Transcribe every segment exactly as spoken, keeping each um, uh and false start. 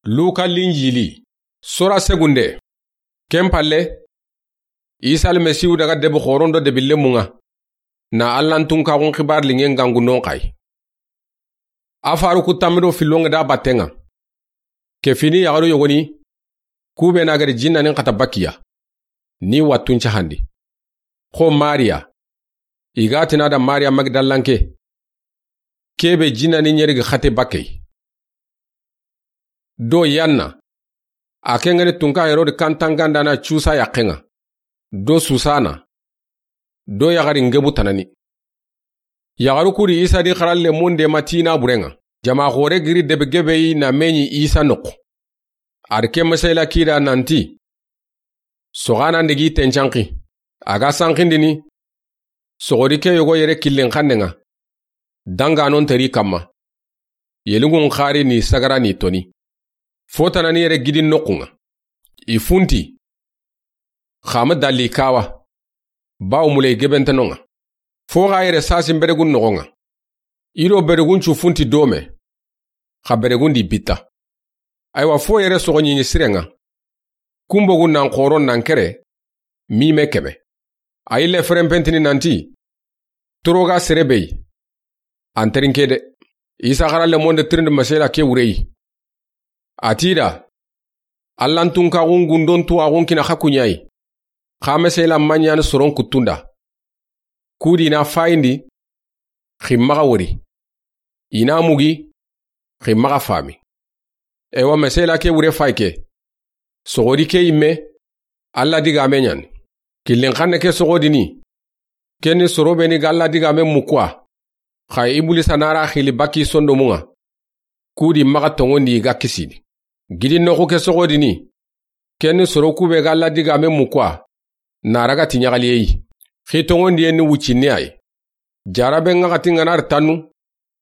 Luka Linjili, sura segunde. Ken palle, Isa Almasihu daga debi xoron do debi lemun ŋa, na Allan tunkaxun xibaari liŋen gangundon xa yi. A faru ku tammi do fillon ŋa da batten ŋa. Ke fini yaxaru yogoni, ku be na gari jinnanin xata bakkiya, ni wattun cahandi. Xo Mariya, i ga tina da Mariya Magdalanke, ke be jinnanin ɲeri gi xate bakkey. Do Yanna, a ke ŋa ni tunka Herodi kantangandana Cusa yaqqen ŋa, do Susana, do yaxari ngebu tanani. Yaxaru ku di Isa di xaralle munde ma ti naaburen ŋa. Jama xore giri debi gebe yi na meɲi Isa noqu. A di ke mesela kida nanti, soxanan digi tencanxi, a ga sanxindini, soxodi ke yogo yere killen xannen ŋa, danganon teri kamma, yelingun xari ni sagara ni toni. Fo tanani yere gidi noqun ŋa. I funti, xa ma dalli kawa, bawo muley gebentanon ŋa. Fo xa yere sasin beregun noxon ŋa. I do beregun cu funti dome, xa beregun di bitta. Aywa, fo yere soxo ɲiɲi siren ŋa. Kunbogun nan xoron nan kere, mime keme. A yille ferenpentini nanti, toro ga sere be yi, an terinke de. Isa xaralle munde tirindi mesela ke wure yi. A ti da, Allan tunkaxun gundon tuwaxun kina xa kuɲayi, xa mesela maɲani soron kuttunda. Ku di na fayindi, xi maxa wori. I na mugi, xi maxa fami. Ewa, mesela ke wure fay ke. Soxodi ke yimme, Alla digame ɲani. Killen xanne ke soxodini, ken ni soro be ni ga Alla digame mukuwa, xa Ibulisa nara xili bakki sondomun ŋa. Ku di maxa tonŋondi i ga kisini. Gidi noxu ke soxodini, ken ni soro ku be ga Alla digame mukuwa, na raga ti ɲaxaliye yi. Xi tonŋondiyen ni wuccinne ay. Jarabe ŋaxati ŋa na ri tannu,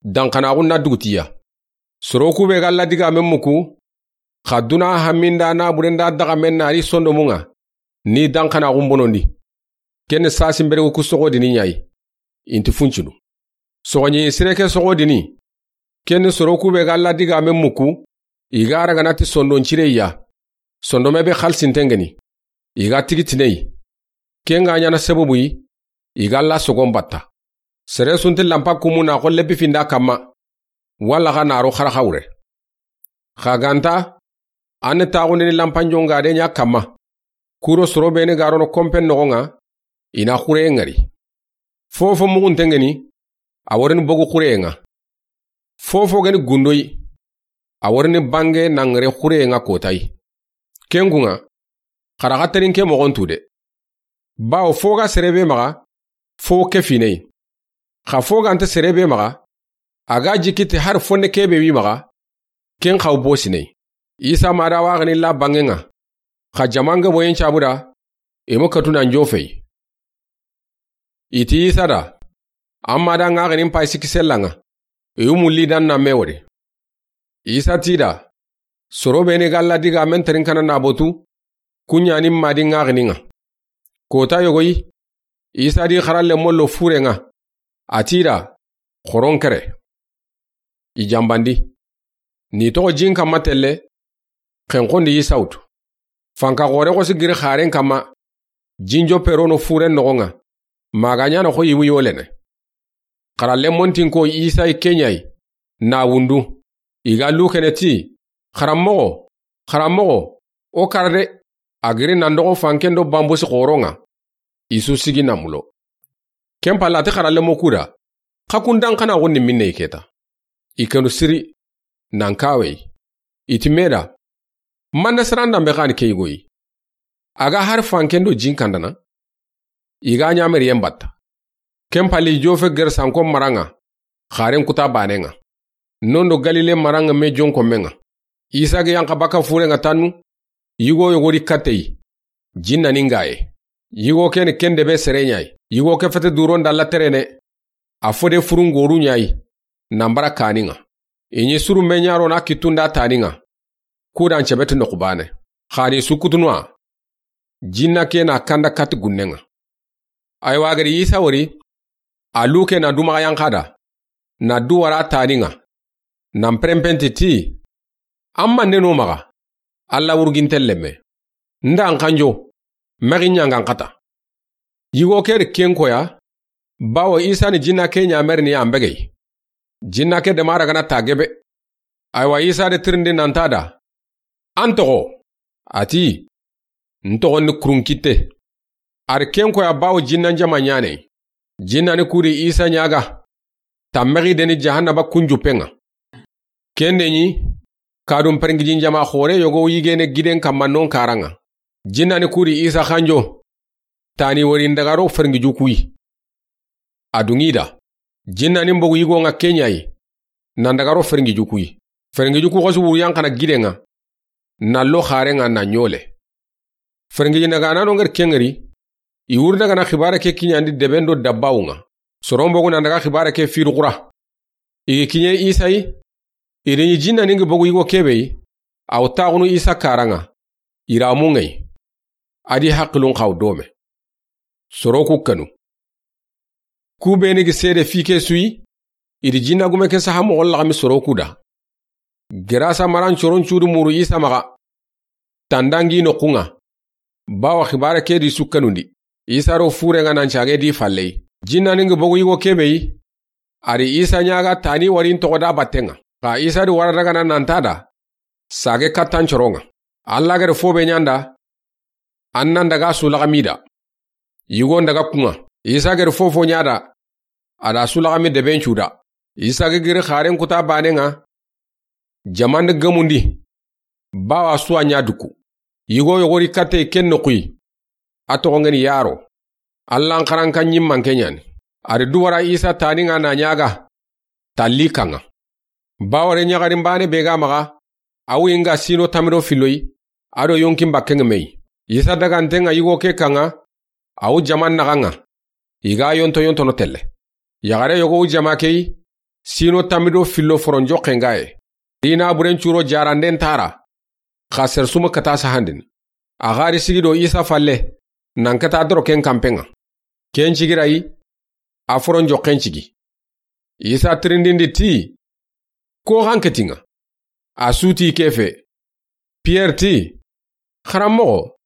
danxanaxun na dugutiya. Soro ku be ga Alla digame muku, xa duna haminda na burenda daxamen na ri sondomun ŋa, ni danxanaxun bonondi. Ken ni sasin beregu ku soxodini ɲayi, inti funcunu. Soxoɲi sire ke soxodini, ken ni soro ku be ga Alla digame muku, i ga ragana ti sondon cire ya. Sondome be xalisinten ŋeni, i ga tigi tinei. Ken ga ɲana sababu yi, i ga Alla sogon batta. Sere sunti lampa kumu na xo lebi finda kamma, walla xa na ro xaraxa wure. Xa ganta, an ni taxundini lampanjonga de ɲa kamma. Kuro soro be ni ga rono kompen noxon ŋa, i na xureye ŋari. Fofo muxunten ŋeni, a worini bogu xureye ŋa. Fofo geni gundoyi, a worini bange na ŋere xureye ŋa kotayi. Ken kun ŋa, xaraxa terinke moxon tu de. Bawo fo ga sere be maxa, fo ke finei. Xa fo ganta sere be maxa, a ga jikiti hari fonne ke be wi maxa, ken xaw bosinei. Isa ma da waxini la bangen ŋa, xa jamange boyen cabuda, i mu katuna njofei. I ti Isa da, an ma da ŋaxinin pay sikki sellan ŋa, i wu mulli dan na me wori. Isa ti da, soro be ni ga Alla digamen terinkanan na botu, ku ɲani ma di ŋaxinin ŋa. Kota yogoyi, Isa di xaralle mollo furen ŋa, a ti da, xoron kere. I janbandi. Ni toxo jin kamma telle, xenxondi Isa wutu. Fanka xore xosi giri xaren kamma, jinjo perono furen noxon ŋa, ma ga ɲana xo yiwu yolene. Xaralle montin ko Isa yi ke ɲayi, na wundu. I ga lukene ti, xaranmoxo, xaranmoxo, o kara de. A giri nan doxo fanken do bambusi xoron ŋa. I su sigi na mulo. Ken palla a ti xaralle mo kuda, xa kun dan xana xo ni minne i keta. I kenu siri, nan kawei. I ti me da, manda sarandan be xani ke yigoyi. A ga hari fanken do jin kandana, i ga ɲameri yen batta. Ken pali jofe ger sanko maran ŋa, xaren kuta banen ŋa. Nondo Galile maran ŋa me jonko men ŋa. Isa ga yanka baka furen ŋa tannu, yigo yogori katei, jinna ni ngaye. Yigo ken ken debe sere ɲayi. Yigo ke fete duron dalla terene, a fode furungoru ɲayi, nan bara kanin ŋa. I ɲi suru me ɲaro na kitunda tanin ŋa. Kudan cebeti noxu bane. Xani sukutunwa. Jinna ke na kanda kati gunnen ŋa. Aywa gari Isa wori, a luke na dumaxa yanka da, na duwara tanin ŋa, nan perempenti ti, An mande no maxa, Alla wurginten lemme. Nda an xanjo, mexi ɲangan xata. Yigo ke ri ken koya, bawo Isa ni jinna ke ɲamerini an begey. Jinna ke dema ragana ta gebe. Aywa, Isa de tirindi nanta da, an toxo? A ti, n toxo ni Kurunkitte. A ri ken koya bawo jinnan jama ɲane. Jinna ni kudi Isa ɲaga, ta mexi deni jahannaba kunjupenga. Kende ɲi, kadun perngijin jama xore yogo yigene giden kamma non karanga. Jinna ni kudi Isa xanjo, tani wari n daga ro ferngiju kuyi. A dungi da, jinna ni mbogu yigo nga kenyayi, nan daga ro ferngiju kuyi. Ferngiju ku xosu wuru yan xana gidenga, na lo xarenga na ɲole. Ferngiji nagana no nger kengeri, i wuri daga na xibare ke kiɲandi deben do dabbawunga. Soro mbogu nan daga xibare ke firu xura. I gi kiɲe Isa yi, i ri ɲi jinna ni ngi bogu yigo kebe yi, aw taxunu Isa karanga, i ramu ngai. A di haqilun xaw dome. Soro ku kanu. Ku beni gi sede fi ke suyi, i di jinna gume ke saha moxo laxami soro ku da. Gerasa maran coron cudu muru Isa maxa. Tandangi no kunga. Bawa xibare ke di su kanundi. Isa ro furenga nan cage di falley. Jinna ni ngi bogu yigo kebe yi. A ri Isa ɲaga tani wari n toxo da battenga. Xa Isa di wara daga na nanta da, sage kattan coronga. Alla gere fobe ɲanda, an nan daga su laxami da. Yigo n daga kunga. Isa gere fofo ɲada, a da su laxami deben cuda. Isa ge giri xaren kuta banenga, jamande gemundi, bawa suwa ɲa duku. Yigo yogori katte ken noxuyi. A toxongeni yaro. Allan xaranka ɲimmanke ɲani. A ri duwara Isa taninga na ɲaga, talli kanga. Baware ɲaxarin bane be ga maxa, awu inga sino tamido filloyi, ado yonkin bakkenge meyi. Isa dagantenga yigo ke kanga, awu jaman naxanga. I ga yonto yontono telle. Yaxare yogo wu jama keyi, sino tamido fillo foron joxengaye. Dina buren curo jaranden tara. Xa sersumu kata sahandini. A xari sigi do Isa falle, nan kata doro ken kampenga. Ken cigirayi, a foron joxen cigi. Isa tirindindi ti, ko xan ketinga. A suti kefe. Pierre ti, xaranmoxo,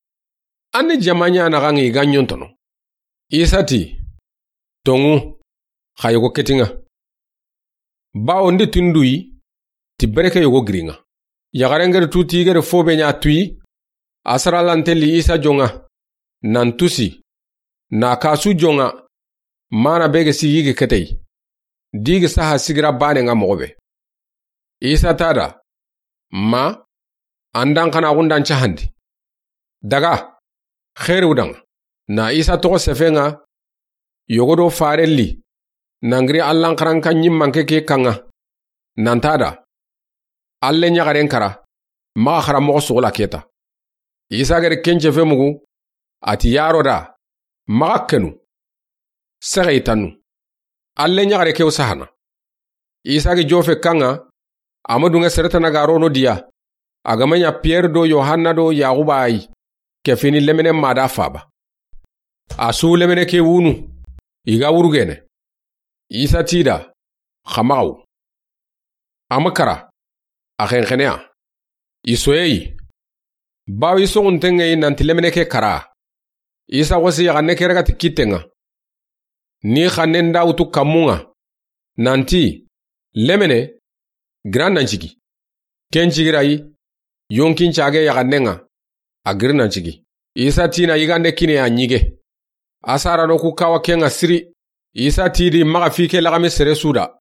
an ni jama ɲa naxangi ga ɲontono. Isa ti, tongu, xa yogo ketinga. Bawo ndi tunduyi, ti bereke yogo giringa. Yaxarengeri tuti gere fobe ɲa tuyi, a saralantelli Isa jonga, nan tusi, na kasu jonga, mana bege si yigi ketey. Digi saha sigira bane nga moxo be. Isa tada, ma, andan xana gundan cahandi. Daga, xeeri wudanga. Na Isa toxo sefenga, yogodo farelli, nangiri Allan xaranka ɲimmanke ke kanga. Nantada, Alle ɲaxaren kara, maxa xaranmoxo suxula keta. Isa gere kencefe mugu, a ti yaro da, maxa kenu. Sexey tannu. Alle ɲaxare kew sahana. Isa gi jofe kanga, a ma dunge seretana ga rono diya. A ga ma ɲa Pierre do Yohanna do Yaxuba ayi, ke fini lemene ma da faba. A su lemene ke wunu, i ga wurugene. Isa tida, xa maxaw. A ma kara, a xenxeneya. I soyeyi. Bawo i soxuntenŋeyi nanti lemene ke kara. Isa xosi yaxanne ke ragati kittenŋa. Ni xanne nda wutu kammunŋa. Nanti, lemene, gira nan cigi. Ken cigirayi, yonkin cage yaxannenŋa. A giri nan cigi. Isa tina yigande kine a ɲige. A sarano ku kawa kenŋa siri. Isa tidi maxa fi ke laxami sere suda.